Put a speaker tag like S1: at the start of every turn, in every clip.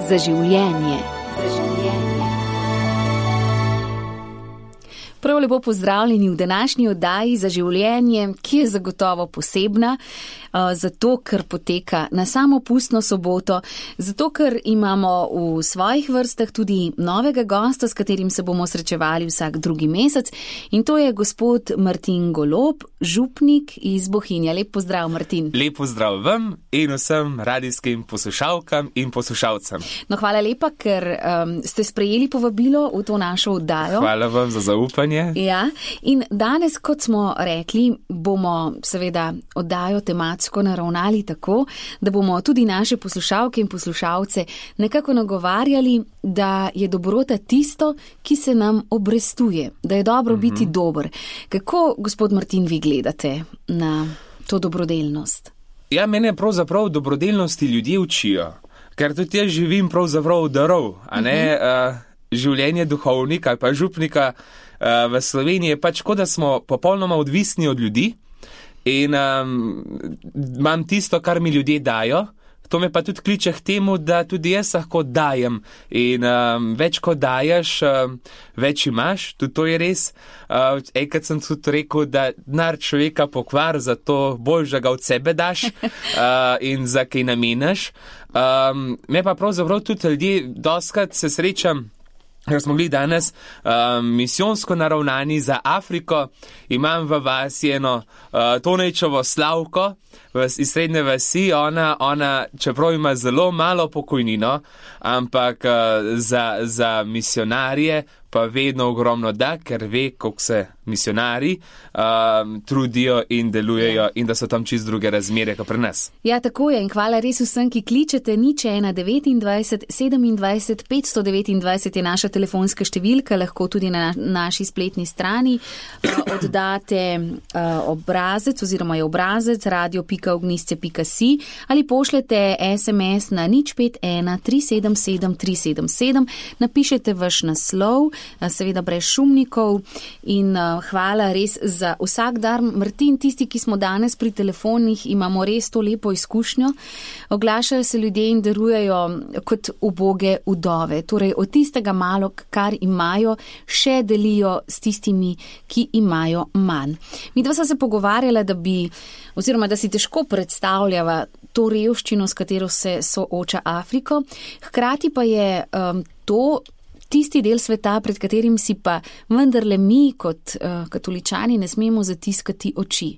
S1: za življenje. Prav lepo pozdravljeni v današnji oddaji za življenje, ki je zagotovo posebna, zato ker poteka na samopustno soboto, zato ker imamo v svojih vrstah tudi novega gosta, s katerim se bomo srečevali vsak drugi mesec, in to je gospod Martin Golob, župnik iz Bohinja. Lep pozdrav, Martin.
S2: Lep pozdrav vam in vsem radijskim poslušalkam in poslušalcem.
S1: No, hvala lepa, ker ste sprejeli povabilo v to našo oddajo.
S2: Hvala vam za zaupanje.
S1: Ja, in danes, kot smo rekli, bomo seveda oddajo tematsko naravnali tako, da bomo tudi naše poslušalke in poslušalce nekako nagovarjali, da je dobrota tisto, ki se nam obrestuje, da je dobro biti dober. Kako, gospod Martin, vi gledate na to dobrodelnost?
S2: Ja, mene pravzaprav dobrodelnosti ljudje učijo, ker tudi jaz živim pravzaprav darov, a ne življenje duhovnika ali pa župnika v Sloveniji je pač, kot da smo popolnoma odvisni od ljudi in imam tisto, kar mi ljudje dajo. To me pa tudi kliče k temu, da tudi jaz lahko dajem in več kot daješ, več imaš, tudi to je res. Enkrat sem tudi rekel, da denar človeka pokvar, zato bolj, da ga od sebe daš in za kaj namenaš. Me pa pravzaprav tudi ljudje, dostikrat se srečam, ker smo bili danes misijonsko naravnani za Afriko, imam v vasi eno Tonejčevo Slavko iz srednje vasi, ona čeprav ima zelo malo pokojnino, ampak za misionarje pa vedno ogromno da, ker ve, koliko se misionari trudijo in delujejo in da so tam čist druge razmere, kot pri nas.
S1: Ja, tako je, in hvala res vsem, ki kličete. 0129 27 529 je naša telefonska številka, lahko tudi na naši spletni strani oddate obrazec oziroma je obrazec radio.ognisce.si ali pošljete SMS na 051 377 377, napišete vaš naslov, seveda brez šumnikov, in hvala res za vsak dar. Martin, tisti, ki smo danes pri telefonih, imamo res to lepo izkušnjo. Oglašajo se ljudje in darujejo kot uboge vdove, torej od tistega malo, kar imajo, še delijo s tistimi, ki imajo manj. Midva sva se pogovarjala, da si težko predstavljava to revščino, s katero se sooča Afriko, hkrati pa je to tisti del sveta, pred katerim si pa vendarle mi kot katoličani ne smemo zatiskati oči.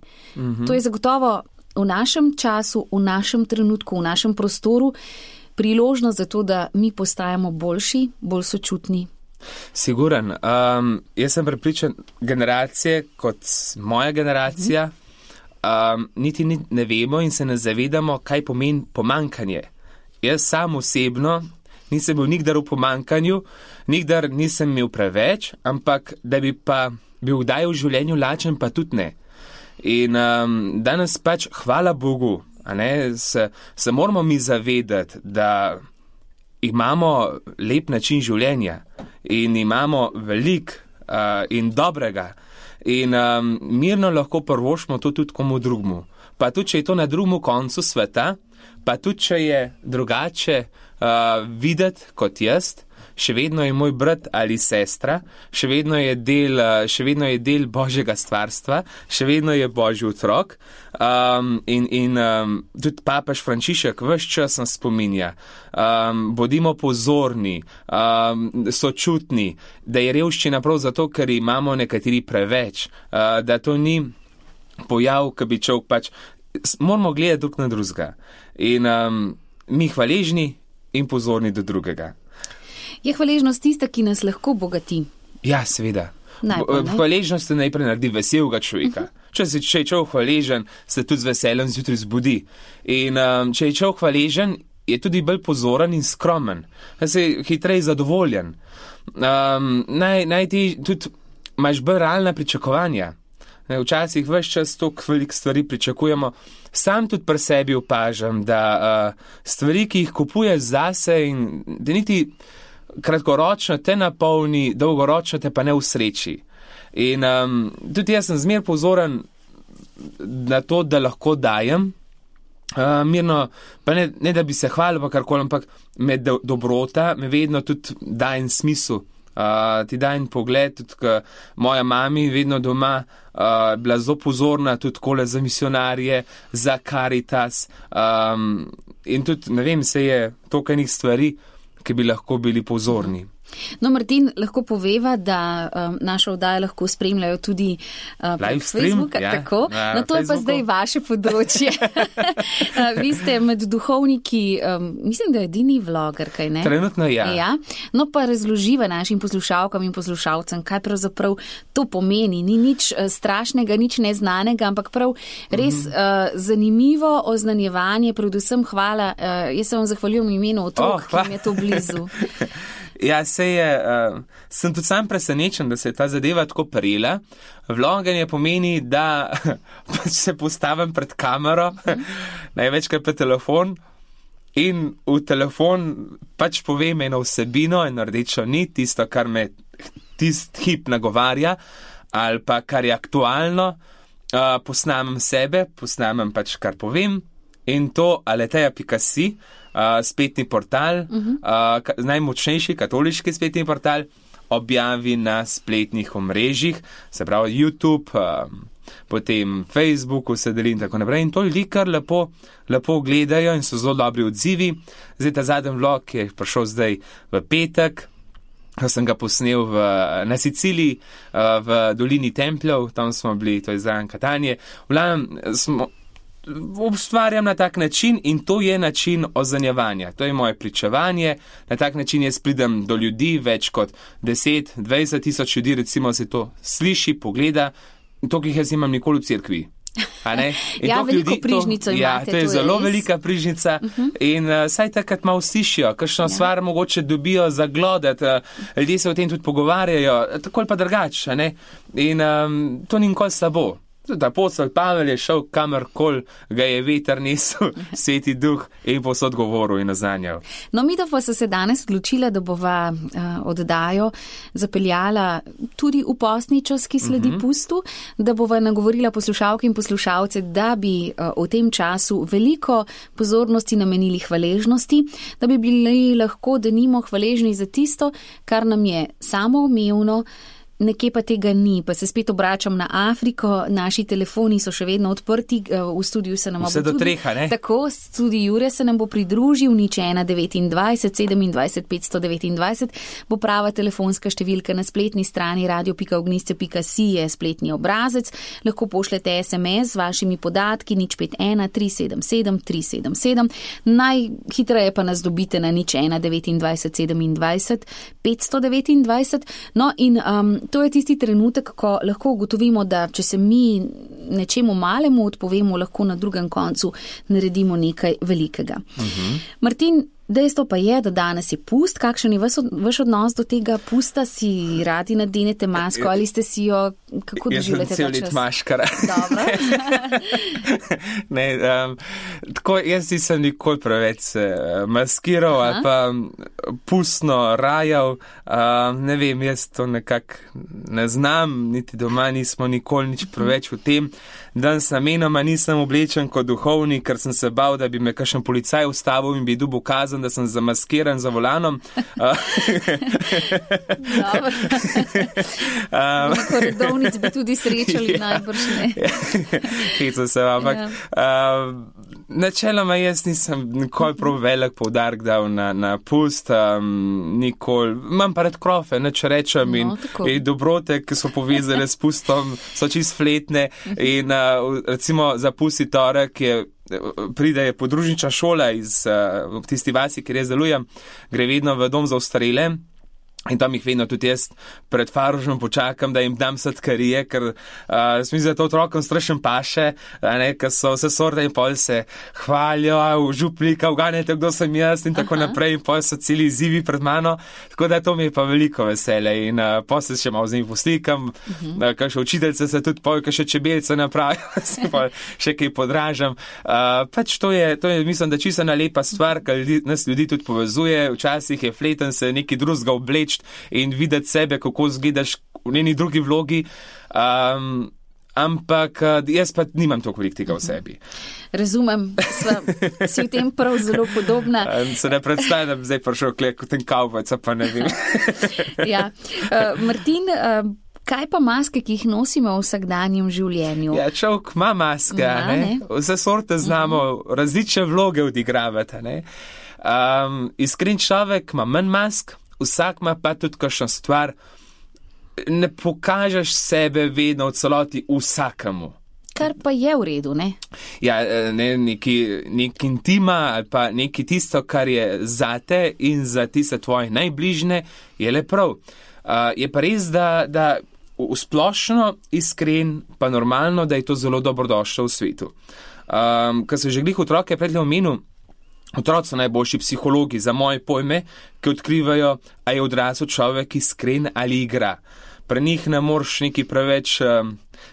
S1: To je zagotovo v našem času, v našem trenutku, v našem prostoru priložnost za to, da mi postajamo boljši, bolj sočutni.
S2: Siguren. Jaz sem prepričan, generacije kot moja generacija niti ne vemo in se ne zavedamo, kaj pomeni pomankanje. Jaz sam osebno nisem bil nikdar v pomankanju, nikdar nisem imel preveč, ampak da bi pa bil kdaj v življenju lačen, pa tudi ne. In danes pač, hvala Bogu, se moramo mi zavedati, da imamo lep način življenja in imamo veliko in dobrega in mirno lahko prvošmo to tudi komu drugmu. Pa tudi, če je to na drugmu koncu sveta, pa tudi, če je drugače videti kot jaz, še vedno je moj brat ali sestra, še vedno je del Božjega stvarstva, še vedno je Božji otrok. In tudi papež Frančišek ves čas nas spominja, bodimo pozorni, sočutni, da je revščina prav zato, ker imamo nekateri preveč, da to ni pojav, ki bi človek pač, moramo gledati drug na drugega in mi hvaležni in pozorni do drugega.
S1: Je hvaležnost tista, ki nas lahko bogati?
S2: Ja, seveda. Hvaležnost se najprej naredi veselega človeka. Če je človek hvaležen, se tudi z veseljem zjutraj zbudi. In če je človek hvaležen, je tudi bolj pozoren in skromen. Se je hitreje zadovoljen. Ti tudi imaš bolj realna pričakovanja. Včasih ves čas toliko veliko stvari pričakujemo. Sam tudi pri sebi opažam, da stvari, ki jih kupuješ zase in da niti kratkoročno te napolni, dolgoročno te pa ne usreči. In tudi jaz sem zmer pozoren na to, da lahko dajem, mirno, pa ne da bi se hvalil, pa karkoli, ampak me dobrota me vedno tudi da en smisel. Ti da en pogled, tudi moja mami vedno doma bila zelo pozorna tudi kole za misionarje, za Caritas in tudi, ne vem, se je toliko enih stvari, ki bi lahko bili pozorni.
S1: No, Martin, lahko poveva, da našo oddajo lahko spremljajo tudi prek Facebooka, tako? No, to je pa zdaj vaše področje. Vi ste med duhovniki, mislim, da je edini vloger, kaj ne?
S2: Trenutno ja.
S1: No, pa razloživa našim poslušalkam in poslušalcem, kaj pravzaprav to pomeni. Ni nič strašnega, nič neznanega, ampak prav res zanimivo oznanjevanje, predvsem hvala. Jaz se vam zahvaljujem v imenu otrok, ki mi je to blizu.
S2: Ja, sem tudi sam presenečen, da se je ta zadeva tako prijela. Vloganje pomeni, da se postavim pred kamero, največkrat pa telefon in v telefon pač povem eno vsebino, eno rdečo nit, tisto, kar me tist hip nagovarja ali pa kar je aktualno, posnamem sebe, posnamem pač kar povem in to aleteja.si, spletni portal, najmočnejši katoliški spletni portal, objavi na spletnih omrežjih, se pravi YouTube, potem Facebooku se deli in tako naprej. In to ljudi kar lepo gledajo in so zelo dobri odzivi. Zdaj ta zadnji vlog je prišel zdaj v petek, sem ga posnel na Siciliji, v dolini Templjev, tam smo bili, to je zraven Katanje. Ustvarjam na tak način in to je način oznanjevanja. To je moje pričevanje. Na tak način jaz pridem do ljudi, več kot 10-20 tisoč ljudi, recimo se to sliši, pogleda. To, ki jaz imam nikoli v cerkvi.
S1: Ja, veliko prižnico imate.
S2: Ja, to je zelo velika prižnica in saj takrat malo slišijo, kakšno stvar mogoče dobijo zaglodati, ljudje se o tem tudi pogovarjajo, tako ali pa drugače, in to ni nikoli slabo. Tudi apostol Pavel je šel kamorkoli ga je veter nesel, Sveti Duh in posod govoril in oznanjal.
S1: No, midva pa so se danes odločila, da bova oddajo zapeljala tudi v postni čas, ki sledi pustu, da bova nagovorila poslušalke in poslušalce, da bi v tem času veliko pozornosti namenili hvaležnosti, da bi bili lahko denimo hvaležni za tisto, kar nam je samoumevno, nekje pa tega ni, pa se spet obračam na Afriko, naši telefoni so še vedno odprti, v studiu se nam bo
S2: vse do treha, ne?
S1: Tako, tudi Jure se nam bo pridružil, nič 129 27 529 bo prava telefonska številka na spletni strani radio.ognisce.si je spletni obrazec, lahko pošljete SMS z vašimi podatki, nič 51 377 377, najhitreje pa nas dobite na nič 129 27 529, no in to je tisti trenutek, ko lahko ugotovimo, da če se mi nečemu malemu odpovemo, lahko na drugem koncu naredimo nekaj velikega. Martin, dejstvo pa je, da danes je pust. Kakšen je vaš odnos do tega pusta? Si radi nadenete masko ali ste si jo, kako doživljate ta čas?
S2: Jaz sem cel let maškara.
S1: Dobro.
S2: Ne, tako jaz nisem nikoli preveč maskiral ali pa pustno rajal. Ne vem, jaz to nekako ne znam, niti doma nismo nikoli nič preveč v tem. Danes namenoma nisem oblečen kot duhovnik, ker sem se bal, da bi me kakšen policaj ustavil in bi dobil kazen, da sem zamaskiran za volanom.
S1: Dobro. Redovnic bi tudi srečali, najbrž ne.
S2: Hecam se, ampak načeloma jaz nisem nikoli prav velik poudarek dal na pust, nikoli. Imam pa rad krofe, neč rečem, in dobrote, ki so povezane s pustom, so čist fletne in recimo za pusti torek pride podružnična šola iz tisti vasi, kjer jaz delujem, gre vedno v dom za ostarele. In tam jih vedno tudi jaz pred faružem počakam, da jim dam sladkarije, ker mislim, da to otrokom strašen paše, ker so vse sorte in pol se hvalijo, župlika, uganjate, kdo sem jaz in tako naprej, in pol so celi izzivi pred mano, tako da to mi je pa veliko veselje in pol se še malo z njim poslikam, kakšne učiteljice se tudi pol, kakšne čebelice napravijo, se pol še kaj podražam. Pač to je, mislim, da čisto ena lepa stvar, ker nas ljudi tudi povezuje, včasih je fleten se neki drugega obleč in videti sebe, kako zgledaš v njeni drugi vlogi. ampak jaz pa nimam toliko veliko tega v sebi.
S1: Razumem, si v tem prav zelo podobna.
S2: Se ne predstavljam, da bi zdaj prišel kot ten kavbojc, pa ne vem.
S1: Ja. Martin, kaj pa maske, ki jih nosimo v vsakdanjem življenju?
S2: Ja, človek ima maske, ne? Vse sorte znamo, različne vloge odigravati, ne? Iskren človek ima manj mask, vsak ima pa tudi kakšno stvar, ne pokažeš sebe vedno v celoti vsakemu.
S1: Kar pa je v redu, ne?
S2: Ja, nek intima ali pa neki tisto, kar je zate in za tiste tvoje najbližne, je le prav. Je pa res, da v splošno iskren, pa normalno, da je to zelo dobrodošlo v svetu. Ko se že glih otroke predlje omenil, otroci so najboljši psihologi za moje pojme, ki odkrivajo, a je odrasel človek iskren ali igra. Pri njih ne moreš neki preveč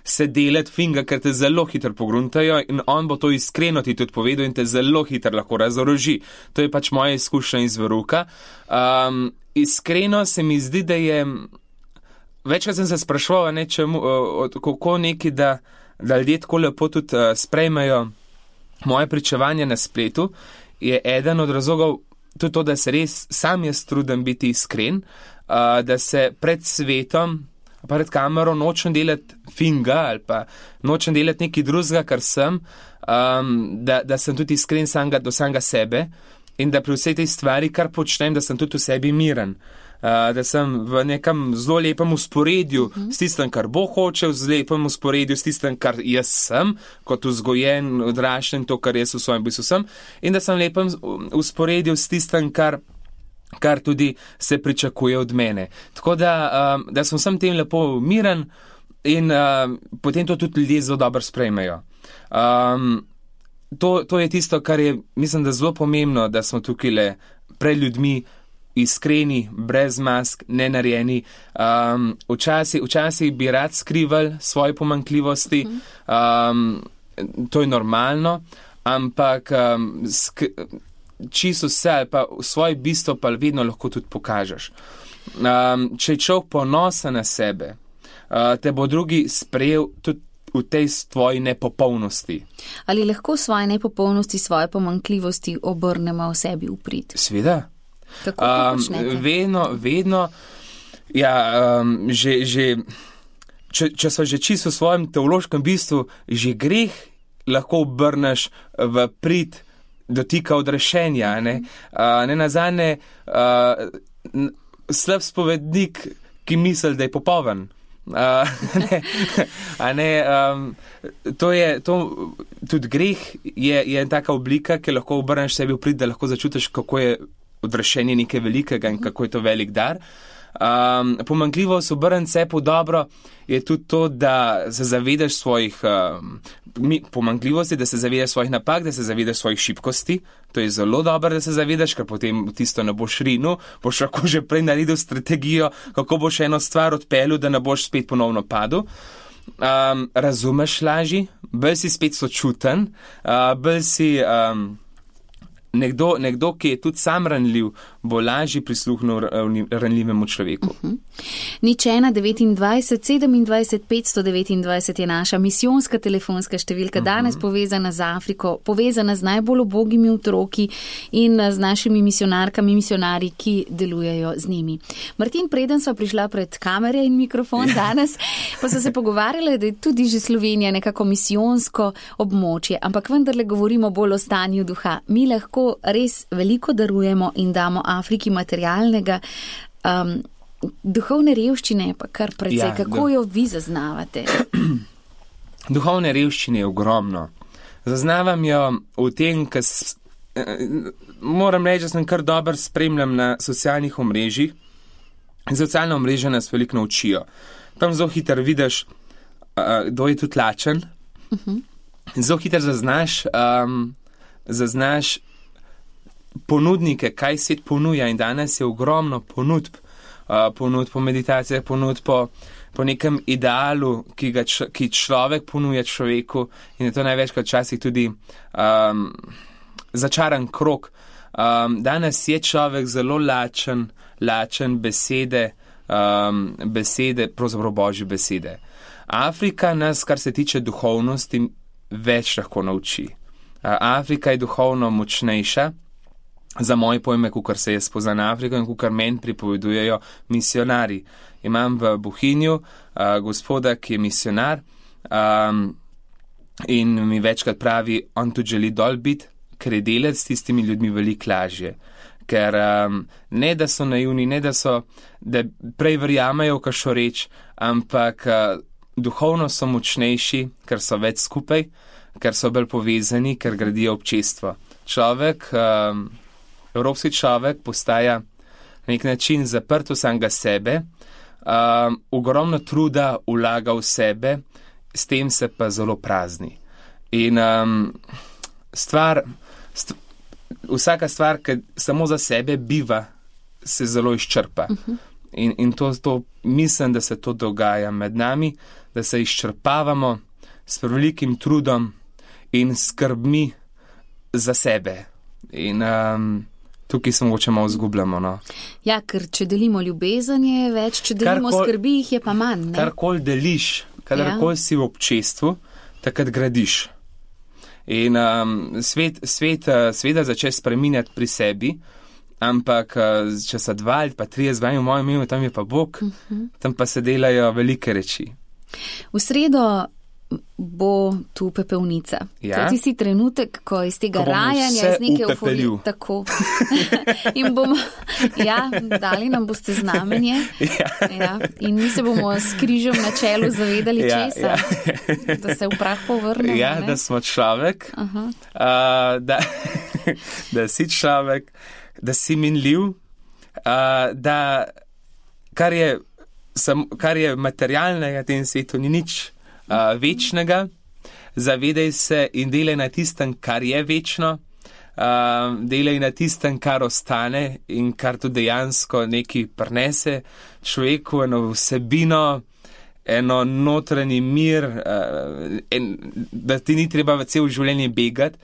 S2: se delati finga, ker te zelo hitro pogruntajo in on bo to iskreno ti tudi povedal in te zelo hitro lahko razoroži. To je pač moja izkušnja iz veruka. Iskreno se mi zdi, da je, večkrat sem se spraševal, kako neki, da ljudje tako lepo tudi sprejmejo moje pričevanje na spletu, je eden od razlogov tudi to, da se res sam jaz trudim biti iskren, da se pred svetom, pred kamero nočem delati finga ali pa nočem delati nekaj drugega, kar sem, da sem tudi iskren do samega sebe in da pri vsej tej stvari, kar počnem, da sem tudi v sebi miren. Da sem v nekem zelo lepem usporedju s tistem, kar Bog hoče, v lepem usporedju s tistem, kar jaz sem, kot vzgojen, odraščen, to, kar jaz v svojem bistvu sem, in da sem v lepem usporedju s tistem, kar tudi se pričakuje od mene. Tako da sem vsem tem lepo miren in potem to tudi ljudje zelo dobro sprejmejo. To je tisto, kar je, mislim, da zelo pomembno, da smo tukaj le pred ljudmi iskreni, brez mask, nenarejeni. Včasih bi rad skrival svoje pomanjkljivosti, to je normalno, ampak čisto vse ali pa svoje bistvo pa vedno lahko tudi pokažeš. Če je človek ponosen na sebe, te bo drugi sprejel tudi v tej tvoji nepopolnosti. Ali
S1: lahko svoje nepopolnosti, svoje pomanjkljivosti obrnemo v sebi v prid?
S2: Sveda.
S1: Kako to počnete?
S2: Vedno, ja, če so že čisto v svojem teološkem bistvu, že greh lahko obrneš v prid dotika odrešenja, ne nazadnje slab spovednik, ki misli, da je popoln. Tudi greh je taka oblika, ki lahko obrneš sebi v prid, da lahko začutiš, kako je odrešenje nekaj velikega in kako je to velik dar. Pomanjkljivost obrniti se po dobro je tudi to, da se zavedaš svojih pomanjkljivosti, da se zavedaš svojih napak, da se zavedaš svojih šibkosti. To je zelo dobro, da se zavedaš, ker potem tisto ne boš rinil, boš lahko že prej naredil strategijo, kako boš eno stvar odpeljal, da ne boš spet ponovno padel. Razumeš lažje, bolj si spet sočuten, bolj si nekdo, ki je tudi sam ranljiv, bo lažje prisluhnil ranljivemu človeku.
S1: 01 29 27 529 je naša misijonska telefonska številka, danes povezana z Afriko, povezana z najbolj ubogimi otroki in z našimi misionarkami, misionarji, ki delujejo z njimi. Martin, preden sva prišla pred kamere in mikrofon danes, pa so se pogovarjali, da je tudi že Slovenija nekako misijonsko območje, ampak vendarle govorimo bolj o stanju duha. Mi lahko res veliko darujemo in damo Afriki materialnega, duhovne revščine pa kar precej. Kako jo vi zaznavate?
S2: Duhovne revščine je ogromno. Zaznavam jo v tem, ker moram reči, da sem kar dobro spremljam na socialnih omrežjih. Socialna omrežja nas veliko naučijo. Tam zelo hitro vidiš, kdo je tudi lačen. Zelo hitro zaznaš ponudnike, kaj svet ponuja, in danes je ogromno ponudb po meditacijah, ponudb po nekem idealu, ki človek ponuja človeku, in je to največkrat včasih tudi začaran krog. Danes je človek zelo lačen besede, pravzaprav božje besede. Afrika nas, kar se tiče duhovnosti, več lahko nauči. Afrika je duhovno močnejša, za moje pojme, kukor se jaz poznam Afriko in kukor meni pripovedujejo misionari. Imam v Bohinju gospoda, ki je misionar in mi večkrat pravi, on tudi želi dol biti, ker je delati s tistimi ljudmi veliko lažje. Ker ne, da so naivni, ne, da prej verjamejo, kakšno reč, ampak duhovno so močnejši, ker so več skupaj, ker so bolj povezani, ker gradijo občestvo. Človek, evropski človek postaja na nek način zaprt v samega sebe, ogromno truda vlaga v sebe, s tem se pa zelo prazni. In vsaka stvar, ki samo za sebe biva, se zelo izčrpa. In to mislim, da se to dogaja med nami, da se izčrpavamo s prevelikim trudom in skrbmi za sebe. In tukaj se mogoče malo zgubljamo. No.
S1: Ja, ker če delimo ljubezen je več, če delimo skrbi, jih je pa manj.
S2: Karkoli deliš, kadarkoli si v občestvu, takrat gradiš. In svet začne spreminjati pri sebi, ampak če so 2 ali pa 3 zvani v mojem imenu, tam je pa Bog, tam pa se delajo velike reči.
S1: V sredo bo tu pepelnica.
S2: Ja?
S1: To je tisti trenutek, ko iz tega rajanja, iz neke euforije. Tako. In bomo, dali nam boste znamenje. Ja. In mi se bomo s križem na čelu zavedali česa. Da se v prah povrnemo.
S2: Ja, da smo človek, da si človek, da si minljiv, da kar je materialnega v tem svetu, ni nič večnega, zavedaj se in delaj na tistem, kar je večno, delaj na tistem, kar ostane in kar tudi dejansko nekaj prinese človeku, eno vsebino, eno notranji mir, da ti ni treba v cel življenje begati.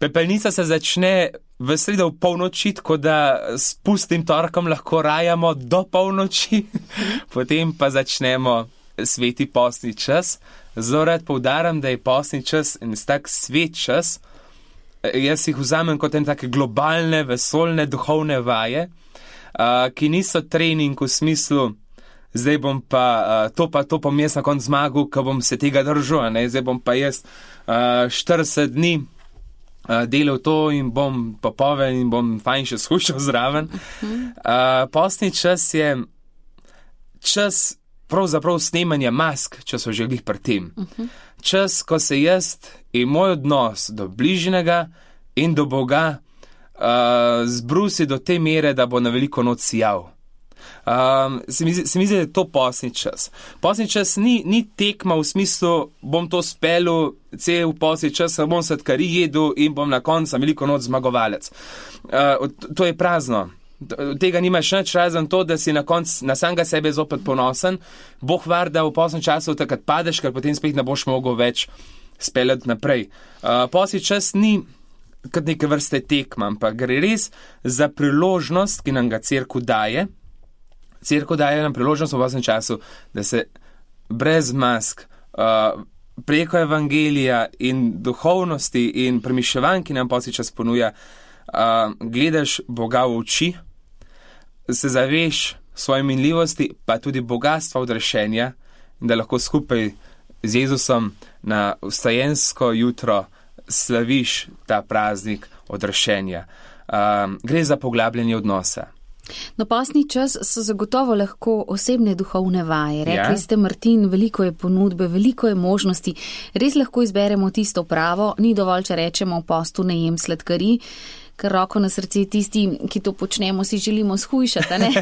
S2: Pepelnica se začne v sredo v polnoči, tako da s pustim torkom lahko rajamo do polnoči, potem pa začnemo sveti postni čas. Zelo rad poudaram, da je postni čas en tak svet čas. Jaz jih vzamem kot en take globalne, vesoljne, duhovne vaje, ki niso trening v smislu, zdaj bom pa to bom jaz na konc zmagal, ko bom se tega držal, ne? Zdaj bom pa jaz 40 dni delal to in bom popoven in bom fajn še skušal zraven. Postni čas je čas pravzaprav snemanja mask, če so že glih pri tem. Čas, ko se jaz in moj odnos do bližnjega in do Boga zbrusi do te mere, da bo na veliko noč sijal. Se mi zdi, da je to postni čas. Postni čas ni tekma v smislu, bom to spelil, cel postni čas, bom sladkari jedel in bom na koncu veliko noč zmagovalec. To je prazno. Tega nimaš nič, razen to, da si na koncu na samega sebe zopet ponosen. Bog var, da v postnem času takrat padeš, ker potem spet ne boš mogel več speljati naprej. Postni čas ni kot neke vrste tekma, ampak gre res za priložnost, ki nam ga cerkev daje. Cerkev daje nam priložnost v postnem času, da se brez mask, preko evangelija in duhovnosti in premišljevanj, ki nam postni čas ponuja, gledaš Boga v oči, se zaveš svoje minljivosti, pa tudi bogatstva odrešenja, da lahko skupaj z Jezusom na vstajensko jutro slaviš ta praznik odrešenja. Gre za poglabljanje odnosa.
S1: No, postni čas so zagotovo lahko osebne duhovne vaje. Rekli ste, Martin, veliko je ponudbe, veliko je možnosti. Res lahko izberemo tisto pravo, ni dovolj, če rečemo v postu ne jem sladkari, ker roko na srce tisti, ki to počnemo, si želimo shujšati, ne?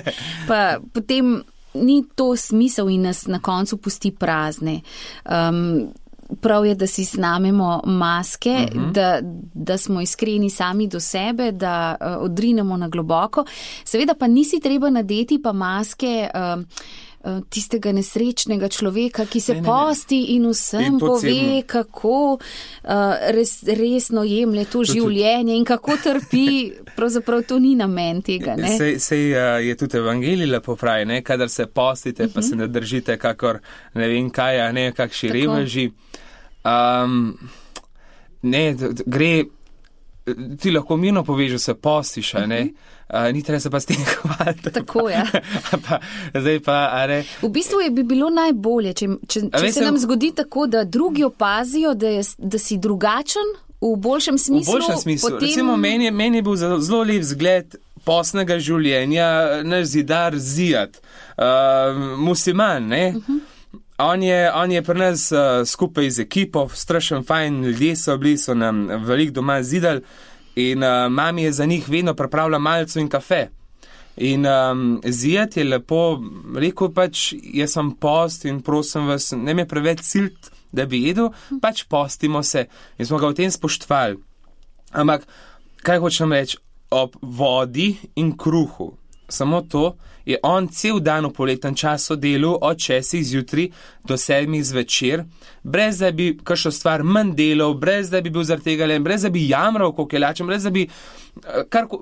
S1: Pa potem ni to smisel in nas na koncu pusti prazne. Prav je, da si snamemo maske, da smo iskreni sami do sebe, da odrinemo na globoko. Seveda pa nisi treba nadeti pa maske tistega nesrečnega človeka, ki se posti in vsem pove, kako resno jemlje to življenje in kako trpi pravzaprav to ni namen tega, ne?
S2: Sej je tudi evangelij lepo pravi, ne? Kadar se postite, pa se ne držite kakor ne vem kaj, a ne kakšni reveži. Ne, gre, ti lahko mirno poveš, se postiš, ne? Ni treba se pa s tem hvaliti.
S1: Tako, ja.
S2: Zdaj pa, a ne?
S1: V bistvu bi bilo najbolje, če se nam zgodi tako, da drugi opazijo, da si drugačen, v boljšem smislu. V boljšem smislu. Potem...
S2: Recimo, meni je bil zelo lep zgled postnega življenja, naš zidar Zijad, musliman, ne? On je pri nas skupaj z ekipo, strašen fajn, ljudje so bili, so nam veliko doma zidali in mami je za njih vedno pripravila malco in kafe. In Zijad je lepo rekel, pač jaz sem post in prosim vas, ne me preveč silt, da bi jedel, pač postimo se in smo ga v tem spoštovali. Ampak, kaj hočem reči, ob vodi in kruhu, samo to, je on cel dan v poletnem času delal od 6 zjutraj do 7 zvečer, brez da bi kakšno stvar manj delal, brez da bi bil zaradi tega len, brez da bi jamral, koliko je lačen, brez da bi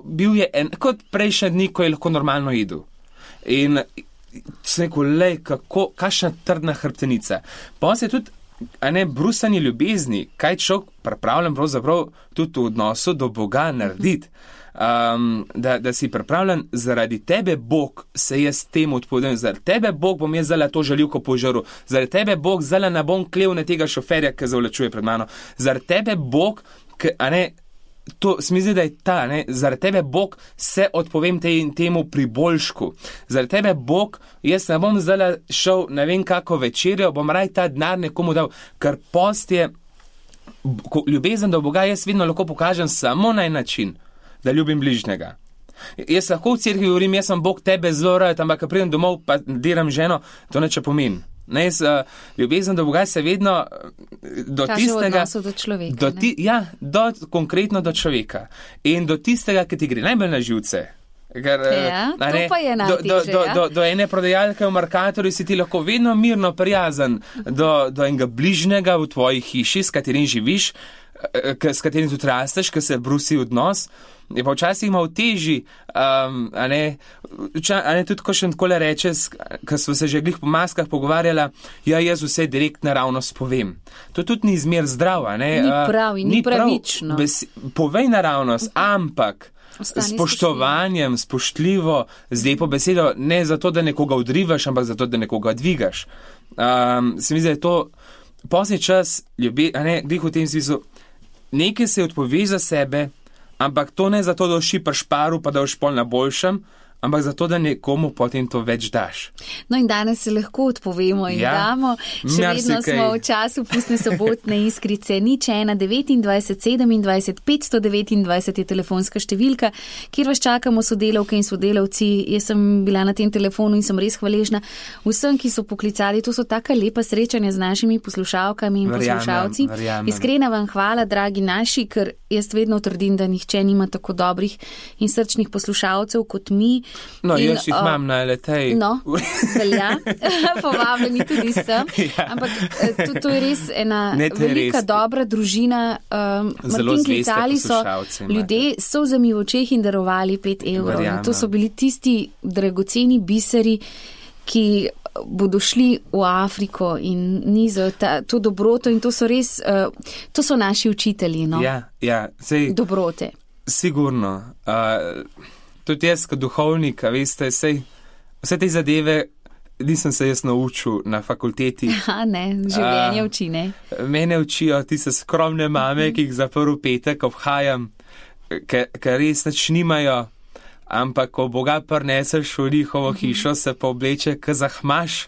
S2: bil je kot prejšnji dni, ko je lahko normalno jedel. In sem rekel, lej, kakšna trdna hrbtenica. Pa se tudi brusanje ljubezni, kaj človek pripravljen pravzaprav tudi v odnosu do Boga narediti. Da si pripravljen, zaradi tebe Bog se jaz temu odpovedam, zaradi tebe Bog bom jaz zala to žaljivko požaril, zaradi tebe Bog zala ne bom klev na tega šoferja, ki zavlačuje pred mano, zaradi tebe Bog, to se mi zdi, da je ta, zaradi tebe Bog se odpovem temu priboljšku, zaradi tebe Bog, jaz ne bom zala šel ne vem kako večerjo, bom raj ta denar nekomu dal, ker post je, ljubezen do Boga jaz vedno lahko pokažem samo na en način, da ljubim bližnjega. Jaz lahko v cerkvi govorim, jaz sem Bog tebe zelo rad, ampak ko pridem domov pa diram ženo, to neče pomeni. Ljubezen do Boga se vedno do
S1: kaže
S2: tistega...
S1: Kaže v odnosu do človeka.
S2: Konkretno do človeka. In do tistega, ki ti gre najbolj na živce. Ker,
S1: to pa je najtežje.
S2: Do ene prodajalke v Mercatorju si ti lahko vedno mirno prijazen do enega bližnjega v tvoji hiši, s katerim živiš, s katerim tudi rasteš, ki se brusi odnos, je pa včasih malo težji, tudi ko še takole reče, ko smo se že glih po maskah pogovarjala, jaz vse direkt naravnost povem. To tudi ni zmer zdrav,
S1: Ni prav in ni pravično.
S2: Povej naravnost, ampak s spoštovanjem, spoštljivo, z lepo besedo, ne zato, da nekoga odrivaš, ampak zato, da nekoga dvigaš. Se mi zdi, da je to poslednji čas, glih v tem smislu, nekaj se odpoveš za sebe, ampak to ne zato, da ošipaš paru, pa da boš pol na boljšem, ampak zato, da nekomu potem to več daš.
S1: No in danes se lahko odpovemo in damo. Še vedno smo v času pustne sobotne iskrice. 01 29 27 529 je telefonska številka, kjer vas čakamo sodelavke in sodelavci. Jaz sem bila na tem telefonu in sem res hvaležna vsem, ki so poklicali. To so taka lepa srečanja z našimi poslušalkami in poslušalci. Iskrena vam hvala, dragi naši, ker jaz vedno trdim, da nihče nima tako dobrih in srčnih poslušalcev kot mi.
S2: No, jaz jih imam na letej.
S1: No, velja, povabljeni tudi sem. Ampak to je res ena velika, dobra družina. Martin, klicali so ljudje s solzami v očeh in darovali 5 evrov. To so bili tisti dragoceni biseri, ki bodo šli v Afriko in nizajo to dobroto in to so res, to so naši učitelji, no? Dobrote.
S2: Sigurno. Tudi jaz, kot duhovnik, veste, vse te zadeve nisem se jaz naučil na fakulteti.
S1: Življenje uči, ne?
S2: Mene učijo tiste skromne mame, ki jih za prvi petek obhajam, ker res nič nimajo, ampak ko Boga prineseš v njihovo hišo, se pa obleče, ko zahmaš.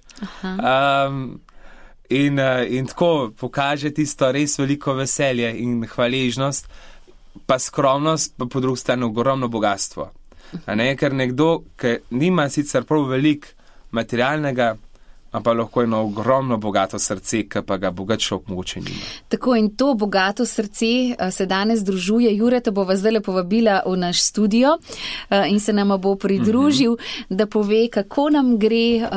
S2: In tako pokaže tisto res veliko veselje in hvaležnost, pa skromnost, pa po drugi strani ogromno bogatstvo. Ker nekdo, ki nima sicer prav veliko materialnega, ampak lahko eno ogromno bogato srce, ki pa ga bogat človek mogoče nima.
S1: Tako in to bogato srce se danes združuje. Jure, te bova zdaj povabila v naš studio in se nam bo pridružil, da pove, kako nam gre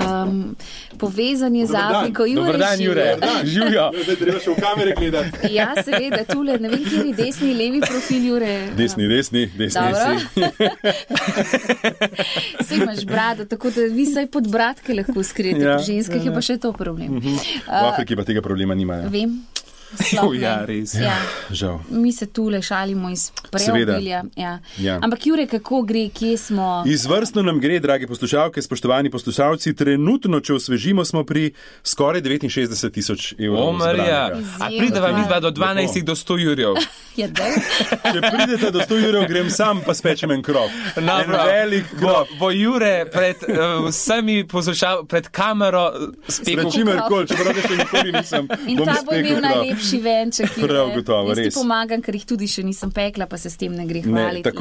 S1: povezanje z Afriko.
S2: Dobar dan, Jure. Živijo.
S3: Zdaj treba še v kamere gledati.
S1: Ja, seveda, tule, ne vem, kjer je desni, levi profil, Jure.
S3: Desni.
S1: Saj imaš brado, tako da vi saj pod bratke lahko skrijete, pri ženskih je pa še to problem.
S3: V Afriki pa tega problema nimajo.
S1: Vem.
S2: Ja, res.
S1: Ja.
S3: Žal.
S1: Mi se tule šalimo iz preobilja. Ja. Ampak Jure, kako gre, kje smo?
S3: Izvrstno nam gre, dragi poslušalke, spoštovani poslušalci. Trenutno, če osvežimo, smo pri skoraj 69,000 evrov.
S2: Marija, a prideva midva do 12 do 100 jurjev?
S1: Ja,
S3: Če pridete do 100 jurjev, grem sam, pa spečem en krop. En velik krop.
S2: Bo Jure pred vsemi pred kamero spekel.
S3: Čimerkoli, če pravda še nikoli nisem.
S1: In ta bo imel najlepši venček.
S3: Prav gotovo, res.
S1: Jaz ti pomagam, ker jih tudi še nisem pekla, pa se s tem ne gre hvaliti.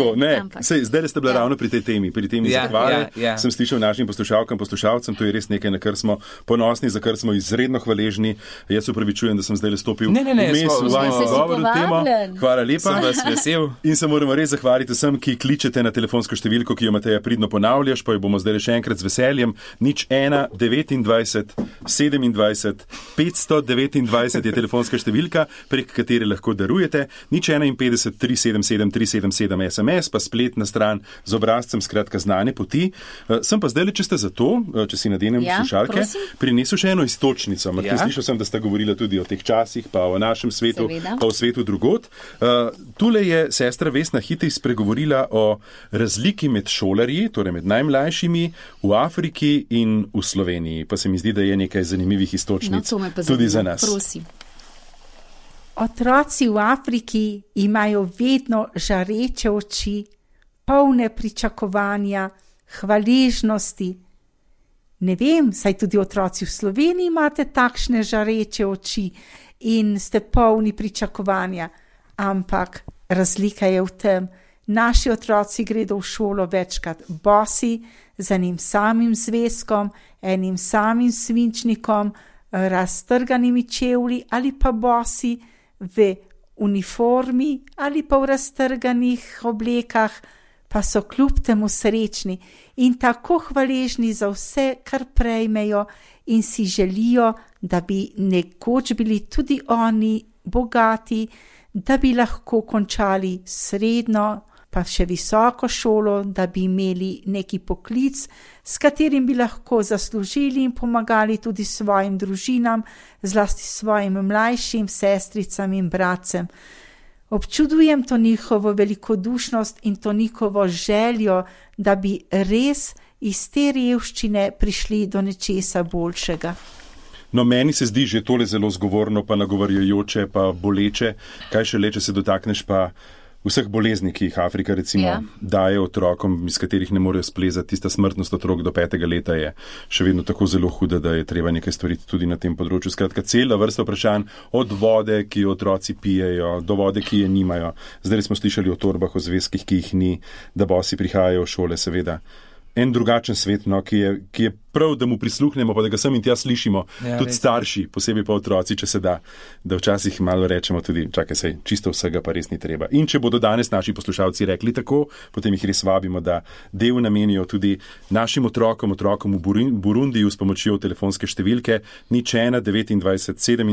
S3: Zdaj ste bila ravno pri tej temi, zahvale. Sem slišal našim poslušalkam, poslušalcem, to je res nekaj, na kar smo ponosni, za kar smo izredno hvaležni. Jaz se upravičujem, da sem zdaj stopil vmes v vaš govor temo. Hvala lepa.
S2: Sem vas vesel.
S3: In se moramo res zahvaliti vsem, ki kličete na telefonsko številko, ki jo Mateja pridno ponavljaš, pa jo bomo zdaj še enkrat z veseljem. 01 29 27 529 je telefonska številka, prek katere lahko darujete. 01 377 377 SMS, pa spletna stran z obrazcem, skratka znane poti. Sem pa zdaj, če ste za to, če si nadenem slušalke, prinesel še eno iztočnico. Slišal sem, da sta govorila tudi o teh časih, pa o našem svetu, pa o svetu drugod. Tule je sestra Vesna Hitej spregovorila o razliki med šolarji, torej med najmlajšimi v Afriki in v Sloveniji. Pa se mi zdi, da je nekaj zanimivih istočnic tudi za nas.
S1: Prosim.
S4: Otroci v Afriki imajo vedno žareče oči, polne pričakovanja, hvaležnosti. Ne vem, saj tudi otroci v Sloveniji imate takšne žareče oči in ste polni pričakovanja. Ampak razlika je v tem, naši otroci gredo v šolo večkrat bosi, z enim samim zvezkom, enim samim svinčnikom, raztrganimi čevlji ali pa bosi v uniformi ali pa v raztrganih oblekah, pa so kljub temu srečni in tako hvaležni za vse, kar prejmejo in si želijo, da bi nekoč bili tudi oni bogati, da bi lahko končali srednjo, pa še visoko šolo, da bi imeli neki poklic, s katerim bi lahko zaslužili in pomagali tudi svojim družinam, zlasti svojim mlajšim sestricam in bratcem. Občudujem to njihovo velikodušnost in to njihovo željo, da bi res iz te revščine prišli do nečesa boljšega.
S3: No, meni se zdi že tole zelo zgovorno, pa nagovarjajoče, pa boleče. Kaj še le, če se dotakneš pa vseh bolezni, ki jih Afrika recimo daje otrokom, iz katerih ne morejo splezati. Tista smrtnost otrok do 5. leta je še vedno tako zelo huda, da je treba nekaj storiti tudi na tem področju. Skratka, cela vrsta vprašanj, od vode, ki jo otroci pijejo, do vode, ki je nimajo. Zdaj smo slišali o torbah, o zvezkih, ki jih ni, da bosi prihajajo v šole, seveda. En drugačen svet, no, ki je prav, da mu prisluhnemo, pa da ga sem in tja slišimo, tudi starši, posebej pa otroci, če se da včasih malo rečemo tudi, čakaj sej, čisto vsega pa res ni treba. In če bodo danes naši poslušalci rekli tako, potem jih res vabimo, da del namenijo tudi našim otrokom v Burundiju s pomočjo telefonske številke 01 29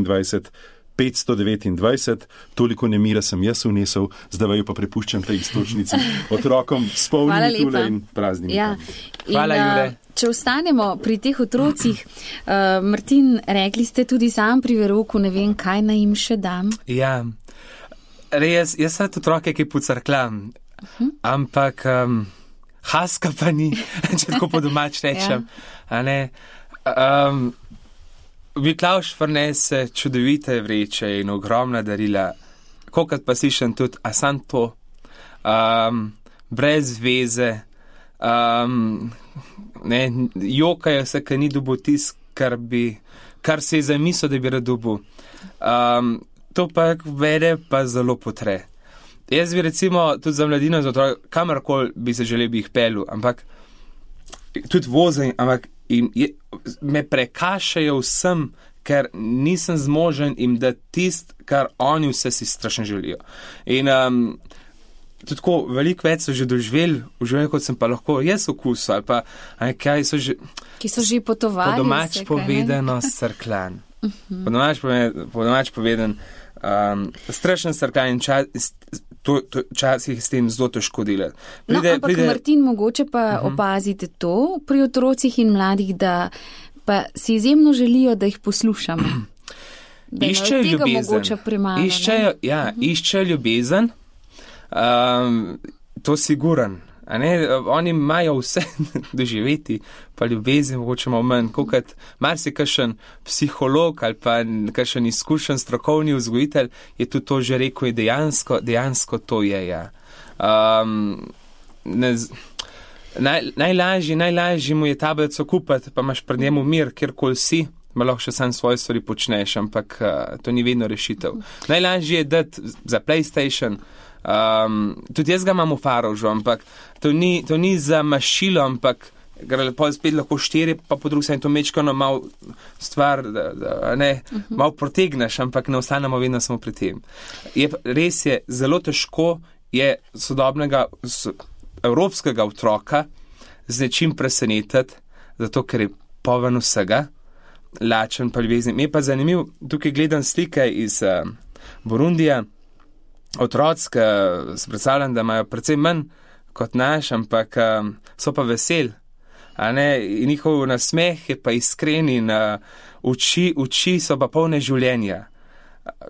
S3: 27 529, toliko nemira sem jaz vnesel, zdaj vaju pa prepuščam tej istočnici otrokom s polnimi tule in praznimi.
S1: Ja.
S2: Hvala, Jure.
S1: Če ostanemo pri teh otrocih, Martin, rekli ste tudi sam pri verouku, ne vem, kaj naj jim še dam.
S2: Ja, res, jaz sem otroke, ki pucarklam, ampak haska pa ni, če tako po domač rečem. A ne? Miklavž prinese čudovite vreče in ogromna darila, kolikrat pa slišim tudi, a sam to, brez veze, jokajo se, ker ni dobil tisk, kar se je zamislil, da bi rad dobil. To pa vede pa zelo potre. Jaz bi recimo tudi za mladino, za otrok, kamarkoli bi se želel, bi jih pelil, ampak tudi vozim, ampak in me prekašajo vsem, ker nisem zmožen jim dati tist, kar oni vse si strašno želijo. In tudi tako, veliko več so že doživeli v življenju, kot sem pa lahko jaz okusil, ali pa kaj so že...
S1: Ki so že potovali.
S2: Po domač povedano srklan. Po domač povedan strašen srklan in včasih s tem zelo težko delati.
S1: Ampak Martin, mogoče pa opazite to pri otrocih in mladih, da pa si izjemno želijo, da jih poslušamo. Da
S2: iščejo ljubezen. Iščejo ljubezen. To siguran. Oni imajo vse doživeti, pa ljubezen mogoče malo manj, kot marsi kakšen psiholog ali pa kakšen izkušen strokovni vzgojitelj je tudi to že rekel, je dejansko to je, ja. Najlažji mu je tablico kupiti, pa imaš pred njemu mir, kjerkoli si, ma lahko še sam svoje stvari počneš, ampak to ni vedno rešitev. Najlažje je dati za PlayStation, tudi jaz ga imam v Farožu, ampak to ni za mašilo, ampak lepo spet lahko 4, pa po drugi strani to mečkano malo stvar, malo protegneš, ampak ne ostanemo vedno samo pri tem. Res je, zelo težko je sodobnega evropskega otroka z nečim presenetiti, zato ker je poln vsega, lačen pa ljubezni. Mi je pa zanimiv, tukaj gledam slike iz Burundija, otroci, ki se predstavljam, da imajo precej manj kot naš, ampak so pa veseli. In njihov nasmeh je pa iskren in oči so pa polne življenja.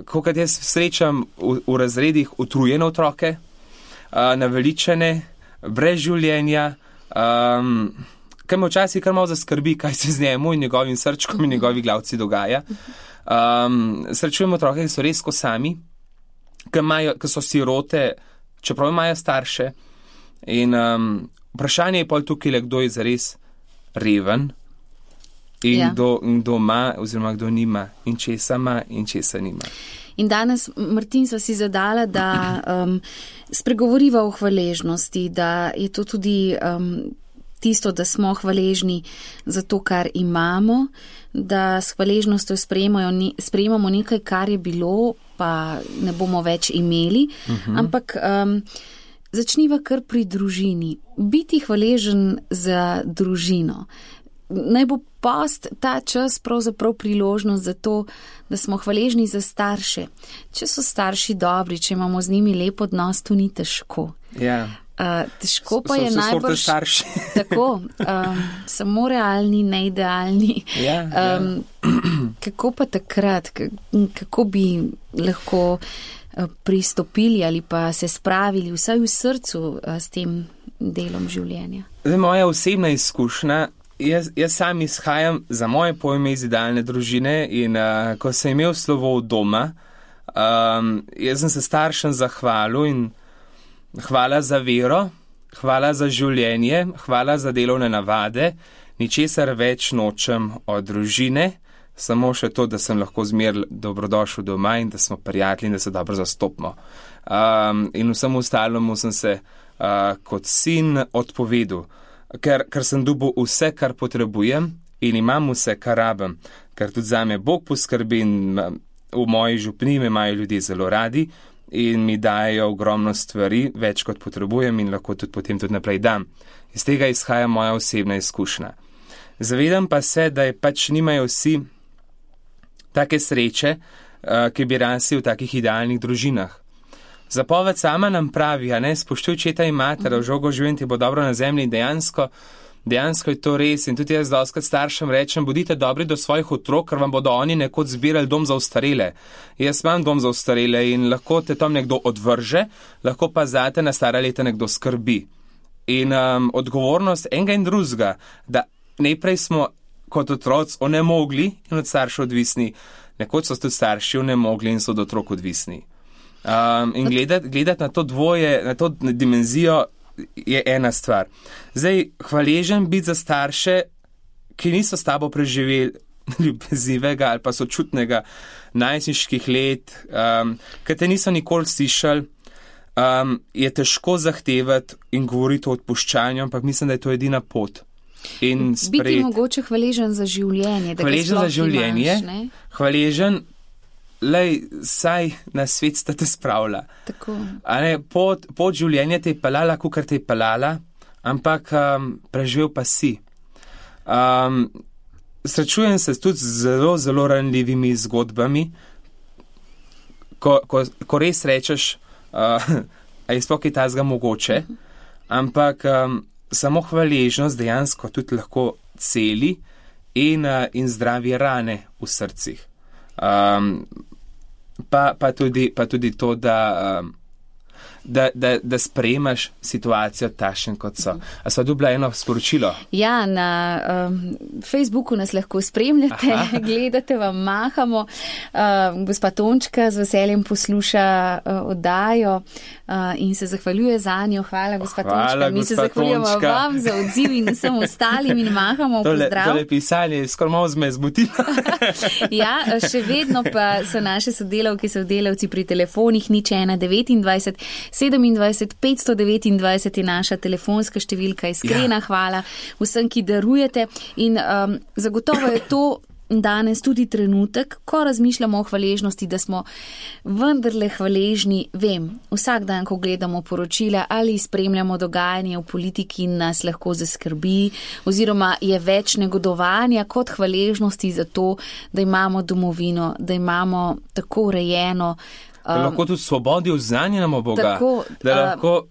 S2: Kokrat jaz srečam v razredih utrujene otroke, naveličene, brez življenja, kaj me včasih kar malo zaskrbi, kaj se z njemu in njegovim srčkom in njegovi glavci dogaja. Srečujem otroke, ki so res ko sami, ki so sirote, čeprav imajo starše. In vprašanje je pol tukaj, kdo je zares reven in kdo ima oziroma kdo nima in česa ima in česa nima.
S1: In danes, Martin, sva si zadala, da spregovoriva o hvaležnosti, da je to tudi tisto, da smo hvaležni za to, kar imamo, da s hvaležnostjo sprejemamo nekaj, kar je bilo, pa ne bomo več imeli, ampak začniva kar pri družini. Biti hvaležen za družino. Naj bo post ta čas pravzaprav priložnost za to, da smo hvaležni za starše. Če so starši dobri, če imamo z njimi lep odnos, to ni težko.
S2: Ja.
S1: Težko pa je najbrž tako, samo realni, neidealni. Kako pa takrat, kako bi lahko pristopili ali pa se spravili vsaj v srcu s tem delom življenja?
S2: Moja osebna izkušnja, jaz sam izhajam za moje pojme iz idealne družine in ko sem imel slovo doma, jaz sem se staršem zahvalil in hvala za vero, hvala za življenje, hvala za delovne navade, ničesar več nočem od družine, samo še to, da sem lahko zmer dobrodošel doma in da smo prijatelji in da se dobro zastopimo. In vsem ostalemu sem se kot sin odpovedal, ker sem dobil vse, kar potrebujem in imam vse, kar rabim, ker tudi zame Bog poskrbi in v moji župniji me imajo ljudje zelo radi in mi dajo ogromno stvari, več kot potrebujem in lahko tudi potem tudi naprej dam. Iz tega izhaja moja osebna izkušnja. Zavedam pa se, da je pač nimajo vsi take sreče, ki bi rasli v takih idealnih družinah. Zapoved sama nam pravi, spoštuj očeta in mater, v žogo življenj ti bo dobro na zemlji in dejansko je to res. In tudi jaz dostakrat staršem rečem, bodite dobri do svojih otrok, ker vam bodo oni nekoč zbirali dom za ostarele. Jaz imam dom za ostarele in lahko te tam nekdo odvrže, lahko pa zate na stara leta nekdo skrbi. In odgovornost enega in drugega, da najprej smo kot otroci onemogli in od staršev odvisni, nekoč so tudi starši onemogli in so od otrok odvisni. In gledati na to dvoje, na to dimenzijo je ena stvar. Zdaj, hvaležen biti za starše, ki niso s tabo preživeli ljubezivega ali pa sočutnega najstniških let, ki te niso nikoli slišali, je težko zahtevati in govoriti o odpuščanju, ampak mislim, da je to edina pot. in sprejeti.
S1: Biti mogoče hvaležen za življenje.
S2: Hvaležen za življenje, hvaležen, lej, saj na svet sta te spravila.
S1: Tako.
S2: Pot življenja te je pelala, kukar te je pelala, ampak preživel pa si. Srečujem se tudi z zelo, zelo ranljivimi zgodbami, ko res rečeš, a je sploh kaj tazga mogoče, ampak samo hvaležnost dejansko tudi lahko celi in zdravi rane v srcih. Pa tudi to, da sprejemaš situacijo takšen, kot so. A sva dobila eno sporočilo?
S1: Ja, na Facebooku nas lahko spremljate, gledate, vam mahamo. Gospa Tončka z veseljem posluša oddajo in se zahvaljuje za njo. Hvala, gospa Tončka. Mi se zahvaljujemo vam za odziv in vsem ostalim in mahamo pozdrav.
S2: Tole pisanje skoraj malo me zmotilo.
S1: Ja, še vedno pa so naše sodelavke, sodelavci pri telefonih 0129 27 529 je naša telefonska številka. Iskrena hvala vsem, ki darujete in zagotovo je to danes tudi trenutek, ko razmišljamo o hvaležnosti, da smo vendarle hvaležni. Vem, vsak dan, ko gledamo poročila ali spremljamo dogajanje v politiki, nas lahko zaskrbi oziroma je več negodovanja kot hvaležnosti za to, da imamo domovino, da imamo tako urejeno.
S2: Da lahko tudi svobodi vznanjamo Boga.
S1: Tako,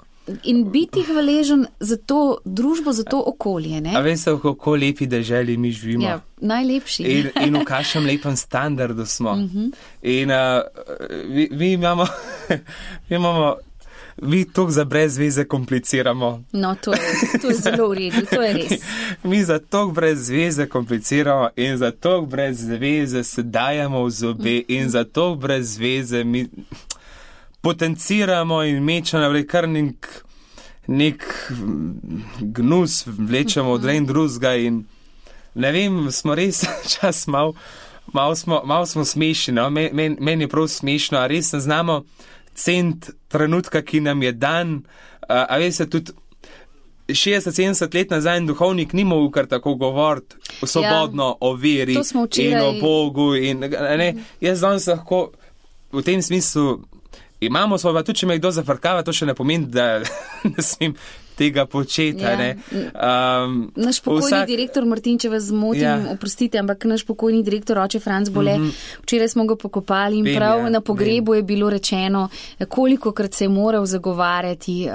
S1: in biti hvaležen za to družbo, za to okolje. Ne?
S2: A veste, kako lepi deželi mi živimo.
S1: Ja, najlepši.
S2: In v kakšnem lepem standardu smo. In mi imamo mi to za brez veze kompliciramo.
S1: No, to je zelo v redu, to je res.
S2: Mi za to brez veze kompliciramo in za to brez veze se dajemo v zobe in za to brez veze mi potenciramo in mečemo naprej kar nek gnus vlečemo od en drugega in ne vem, smo res čas malo smo smešni, no? Meni je prav smešno, a res ne znamo cent trenutka, ki nam je dan, a veste, tudi 60-70 let nazaj duhovnik ni mogel kar tako govoriti svobodno o veri in o Bogu. Jaz danes lahko v tem smislu imamo svobodo, tudi če me kdo zafrkava, to še ne pomeni, da ne smem tega početi.
S1: Naš pokojni direktor Martin, če vas zmotim, oprostite, ampak naš pokojni direktor oče Franc Bole, včeraj smo ga pokopali in prav na pogrebu je bilo rečeno, kolikokrat se je moral zagovarjati,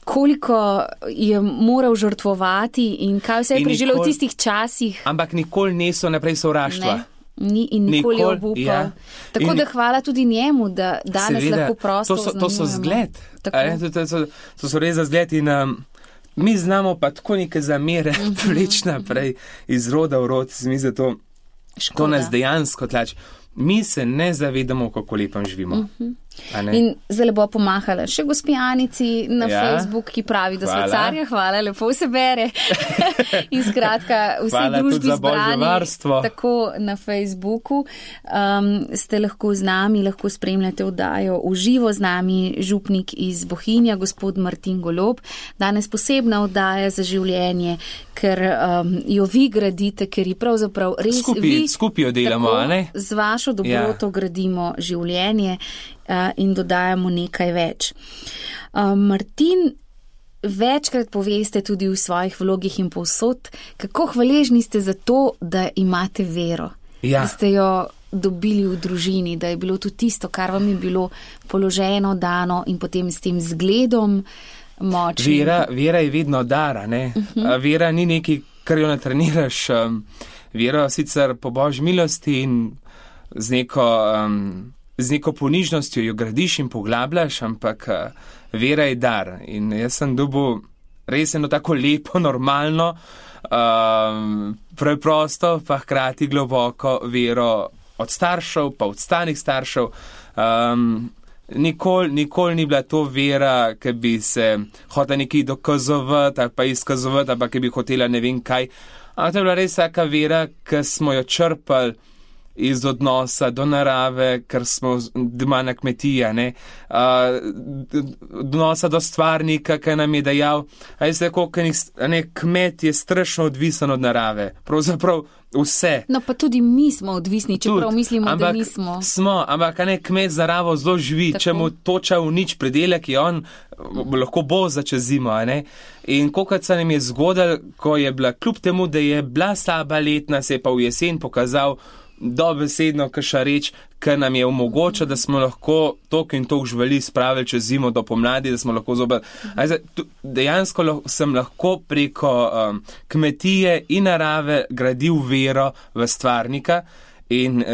S1: koliko je moral žrtvovati in kaj vse je preživelo v tistih časih.
S2: Ampak nikoli niso naprej sovraštva.
S1: Ni in nikoli obupal. Ja. Tako da hvala tudi njemu, da danes lahko prosto oznanjujemo.
S2: To so zgled. To so res za zgled in mi znamo pa tako neke zamere vleč naprej iz roda v rod. To nas dejansko tlači. Mi se ne zavedamo, kako lepem živimo.
S1: In zelo bo pomahala še gospi Anici na Facebook, ki pravi, da so carja, hvala, lepo se bere. In skratka, vsi družbi zbrani, tako na Facebooku, ste lahko z nami, lahko spremljate oddajo v živo z nami, župnik iz Bohinja, gospod Martin Golob. Danes posebna oddaja za življenje, ker jo vi gradite, ker ji pravzaprav res
S2: skupaj jo delamo, ne?
S1: Z vašo dobroto gradimo življenje in dodajamo nekaj več. Martin, večkrat poveste tudi v svojih vlogih in povsod, kako hvaležni ste za to, da imate vero. Da ste jo dobili v družini, da je bilo to tisto, kar vam je bilo položeno, dano in potem s tem zgledom močnim.
S2: Vera je vedno dara, ne? Vera ni nekaj, kar jo natreniraš. Vera sicer po Božji milosti in z neko ponižnostjo jo gradiš in poglabljaš, ampak vera je dar. In jaz sem dobil res eno tako lepo, normalno, preprosto, pa hkrati globoko vero od staršev, pa od stanih staršev. Nikoli ni bila to vera, ki bi se hotela nekaj dokazovati, ali pa izkazovati, ali pa ki bi hotela ne vem kaj. Ampak to je bila res taka vera, ki smo jo črpali iz odnosa do narave, ker smo doma na kmetija, odnosa do stvarnika, ki nam je dejal, kmet je strašno odvisen od narave, pravzaprav vse.
S1: No, pa tudi mi smo odvisni, čeprav mislimo, da nismo.
S2: Ampak kmet z naravo zelo živi, če mu toča v nič predelek, je on lahko bo za čez zimo, In kolikrat se nam je zgodilo, ko je bila, kljub temu, da je bila slaba letna, se je pa v jesen pokazal dobesedno kakšna reč, ki nam je omogoča, da smo lahko toliko in toliko živali spravili čez zimo do pomladi, da smo lahko zopet. Dejansko sem lahko preko kmetije in narave gradil vero v stvarnika in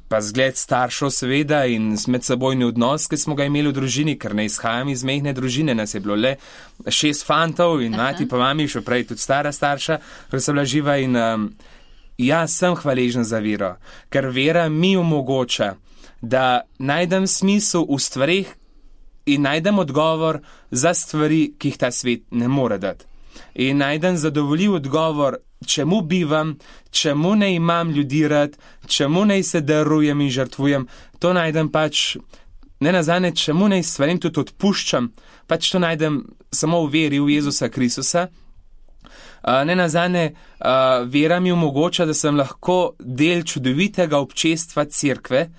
S2: pa zgled staršev seveda in medsebojni odnos, ki smo ga imeli v družini, ker ne izhajam iz mehne družine, nas je bilo le 6 fantov in mati pa mami, še prej tudi stara starša, ker sem bila živa in jaz sem hvaležen za vero, ker vera mi omogoča, da najdem smisel v stvarih in najdem odgovor za stvari, ki jih ta svet ne more dati. In najdem zadovoljiv odgovor, čemu bivam, čemu ne imam ljudi rad, čemu ne se darujem in žrtvujem, to najdem ne nazadnje, čemu ne stvarim tudi odpuščam, to najdem samo v veri v Jezusa Kristusa. Ne nazadnje, vera mi omogoča, da sem lahko del čudovitega občestva cerkve,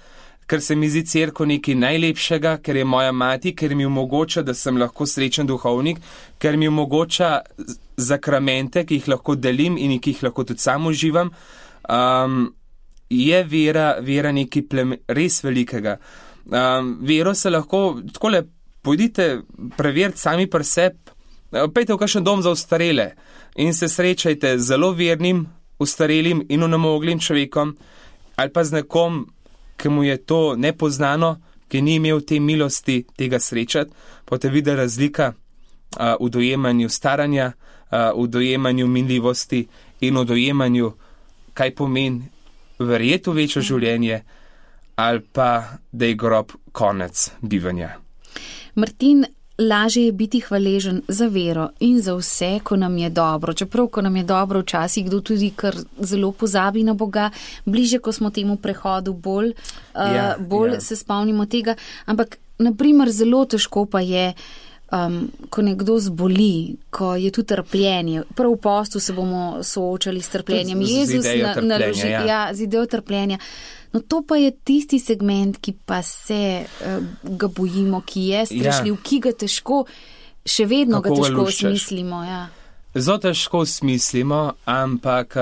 S2: ker se mi zdi cerkev nekaj najlepšega, ker je moja mati, ker mi omogoča, da sem lahko srečen duhovnik, ker mi omogoča zakramente, ki jih lahko delim in ki jih lahko tudi sam uživam, je vera nekaj res velikega. Vero se lahko, takole, pojdite preveriti sami pri sebi, pejte v kakšen dom za ostarele in se srečajte z zelo vernim, ostarelim in onemoglim človekom, ali pa z nekom, ki mu je to nepoznano, ki ni imel te milosti tega srečati, pa te vidi razlika v dojemanju staranja, v dojemanju minljivosti in v dojemanju, kaj pomeni verjeti v večjo življenje, ali pa da je grob konec bivanja.
S1: Martin, lažje je biti hvaležen za vero in za vse, ko nam je dobro. Čeprav, ko nam je dobro, včasih kdo tudi kar zelo pozabi na Boga, bliže, ko smo temu prehodu bolj se spomnimo tega. Ampak, naprimer, zelo težko pa je, ko nekdo zboli, ko je tu trpljenje. Prav v postu se bomo soočali s trpljenjem. Jezus naloži z idejo trpljenja. No, to pa je tisti segment, ki pa se ga bojimo, ki je strašljiv, ki ga težko, še vedno ga težko smislimo.
S2: Zelo težko smislimo, ampak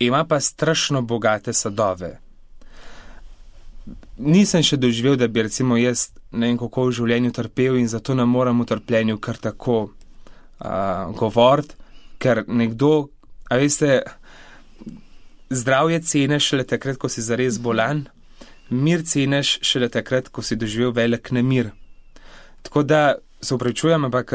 S2: ima pa strašno bogate sadove. Nisem še doživel, da bi recimo jaz ne vem kako v življenju trpel in zato ne moram v trpljenju kar tako govoriti, ker nekdo, a veste, zdravje ceneš šele takrat, ko si zares bolan, mir ceneš šele takrat, ko si doživel velik nemir. Tako da se upravičujem, ampak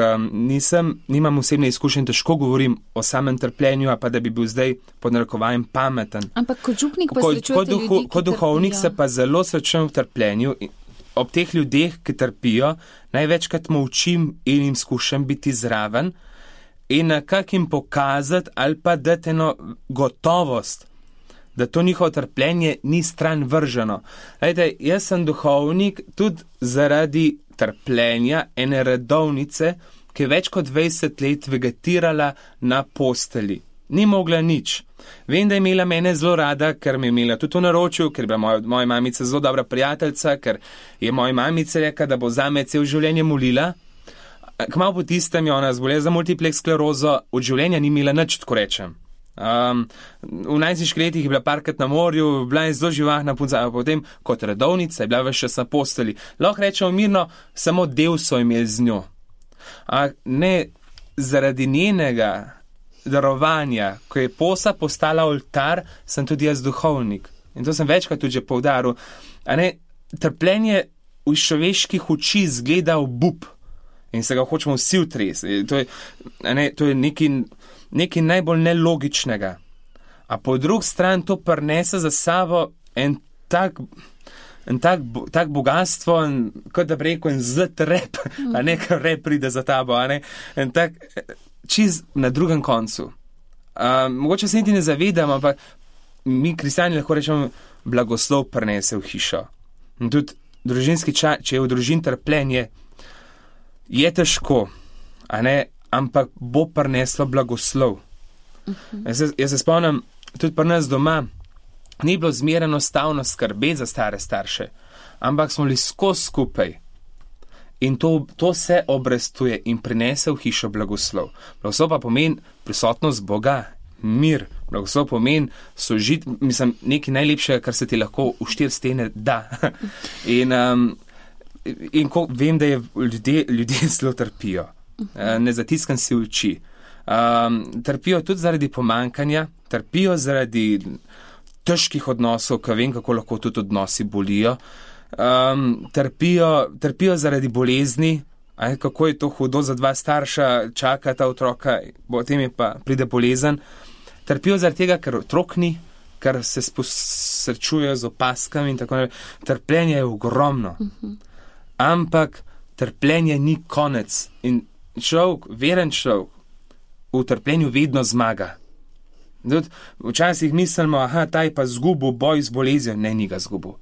S2: nimam osebne izkušnje, težko govorim o samem trpljenju, a pa da bi bil zdaj pod narekovajem pameten.
S1: Ampak kot župnik pa srečujete ljudi, ki
S2: kot duhovnik se pa zelo srečujem v trpljenju. Ob teh ljudeh, ki trpijo, največkrat molčim in jim skušam biti zraven in nekako jim pokazati ali pa dati eno gotovost, da to njihovo trpljenje ni stran vrženo. Lejte, jaz sem duhovnik tudi zaradi trpljenja ene redovnice, ki je več kot 20 let vegetirala na posteli. Ni mogla nič. Vem, da je imela mene zelo rada, ker me je imela tudi v naročju, ker je bila moja mamica zelo dobra prijateljica, ker je moja mamica rekla, da bo zame cel življenje molila. Kmalu po tistem je ona zbolela za multiplex sklerozo, od življenja ni imela nič, tako rečem. V najstniških letih je bila parkrat na morju, bila je zelo živahna punca, potem kot redovnica je bila več čas na posteli. Lahko rečemo mirno, samo del so imeli z njo. Ne zaradi njenega darovanja, ko je posa postala oltar, sem tudi jaz duhovnik. In to sem večkrat tudi že poudaril. Trpljenje v človeških oči zgleda obup in se ga hočemo vsi utresti. To je nekaj najbolj nelogičnega. A po drugi strani to prinese za sabo en tak bogatstvo, kot da bi rekel, en zlet rep, a nekaj rep pride za tabo, en tak čiz na drugem koncu. Mogoče se niti ne zavedam, ampak mi kristjani lahko rečemo, blagoslov prinese v hišo. In tudi družinski čas, če je v družini trpljenje, je težko, a ne, ampak bo prineslo blagoslov. Jaz se spomnim, tudi pri nas doma, ni bilo zmeraj enostavno skrbeti za stare starše, ampak smo bili skozi skupaj. In to se obrestuje in prinese v hišo blagoslov. Blagoslov pa pomeni prisotnost Boga, mir. Blagoslov pomeni sožit, nekaj najlepšega, kar se ti lahko v 4 stene da. In ko vem, da ljudje zelo trpijo. Ne zatiskam si oči. Trpijo tudi zaradi pomankanja, trpijo zaradi težkih odnosov, ko vem, kako lahko tudi odnosi bolijo. Trpijo zaradi bolezni, kako je to hudo za 2 starša, čakata otroka, potem je pa pride bolezen. Trpijo zaradi tega, ker otrok ni, ker se srečujejo z opaskami in tako naprej. Trpljenje je ogromno. Ampak trpljenje ni konec. In veren človek v trpljenju vedno zmaga. Včasih mislimo, ta je pa zgubil boj z boleznijo. Ne, ni ga zgubil.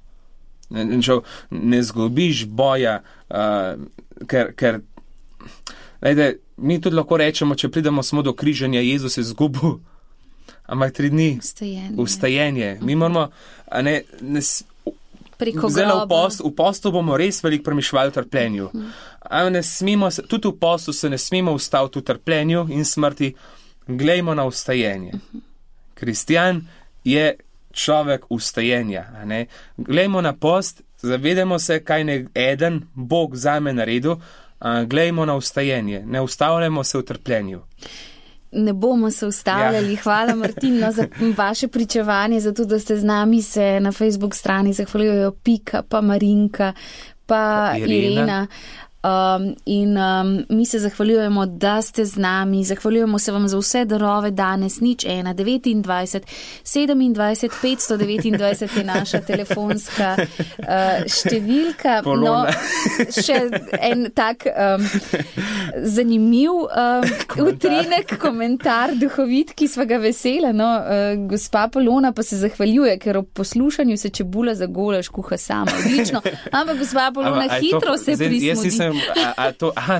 S2: Ne zgubiš boja, ker mi tudi lahko rečemo, če pridemo samo do križanja, Jezus je zgubil, ampak 3 dni ustajenje. Mi moramo, v postu bomo res veliko premišljali v trpljenju. Tudi v postu se ne smemo ustaviti v trpljenju in smrti. Glejmo na ustajenje. Kristjan je človek ustajenja. Glejmo na post, zavedamo se, kaj ne eden Bog zame naredil, glejmo na ustajenje. Ne ustavljamo se v trpljenju.
S1: Ne bomo se ustavljali. Hvala, Martin, za vaše pričevanje, zato da ste z nami. Se na Facebook strani zahvaljujejo Pika, pa Marinka, pa Irena. Mi se zahvaljujemo, da ste z nami. Zahvaljujemo se vam za vse darove danes. 0-1-29 27 529 je naša telefonska številka. Še en tak zanimiv utrinek, komentar duhovit, ki sva ga vesela. Gospa Polona pa se zahvaljuje, ker ob poslušanju se čebula za golaž kuha sama. Odlično. Ampak gospa Polona hitro se prismodi.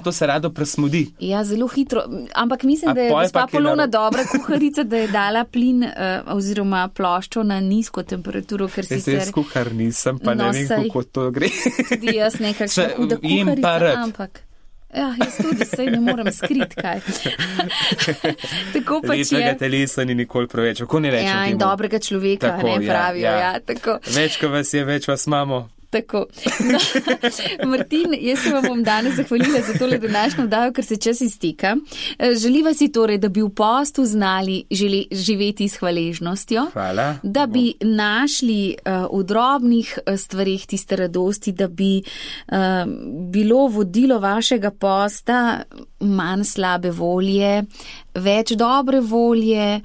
S2: To se rado presmudi.
S1: Ja, zelo hitro. Ampak mislim, da je gospa Polona dobra kuharica, da je dala plin oziroma ploščo na nizko temperaturo, ker sicer...
S2: Jaz kuhar nisem, pa ne vem, kako to gre.
S1: Tudi jaz nekakšna huda kuharica, ampak... Ja, jaz tudi sej ne morem skriti, kaj. Tako pač je.
S2: Lepega telesa ni nikoli preveč, kako ne rečem.
S1: Ja, in dobrega človeka, tako, ne pravijo. Ja, tako.
S2: Več, ko vas je, več vas imamo.
S1: Tako. No, Martin, jaz se vam bom danes zahvalila za tole današnjo vdajo, ker se čas izteka. Želiva si torej, da bi v postu znali živeti s hvaležnostjo.
S2: Hvala.
S1: Da bi našli v drobnih stvarih tiste radosti, da bi bilo vodilo vašega posta manj slabe volje, več dobre volje,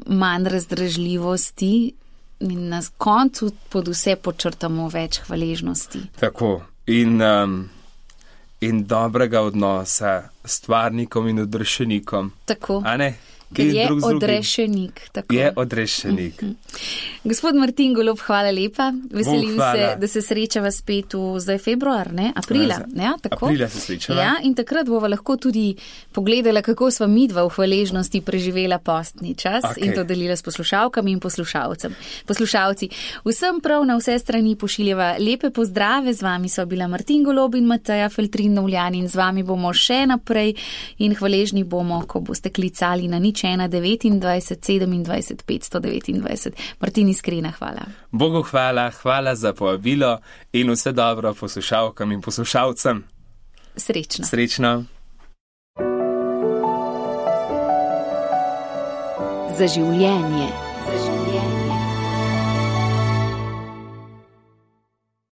S1: manj razdražljivosti. In na koncu pod vse počrtamo več hvaležnosti.
S2: Tako. In dobrega odnosa s stvarnikom in odrešenikom.
S1: Tako.
S2: A ne?
S1: Ker je odrešenik. Tako.
S2: Je odrešenik.
S1: Gospod Martin Golob, hvala lepa. Veselim se, da se srečava spet zdaj februar, ne? Aprila. Ja, tako.
S2: Aprila se srečava.
S1: Ja, in takrat bova lahko tudi pogledala, kako sva midva v hvaležnosti preživela postni čas in to delila s poslušalkami in poslušalci. Vsem prav na vse strani pošiljava lepe pozdrave. Z vami sva bila Martin Golob in Mateja Feltrin-Novljan in z vami bomo še naprej in hvaležni bomo, ko boste klicali na 0-1-29 27 529. Martin, iskrena hvala.
S2: Bogu hvala za povabilo in vse dobro poslušalkam in poslušalcem.
S1: Srečno.
S2: Srečno.
S1: Za življenje.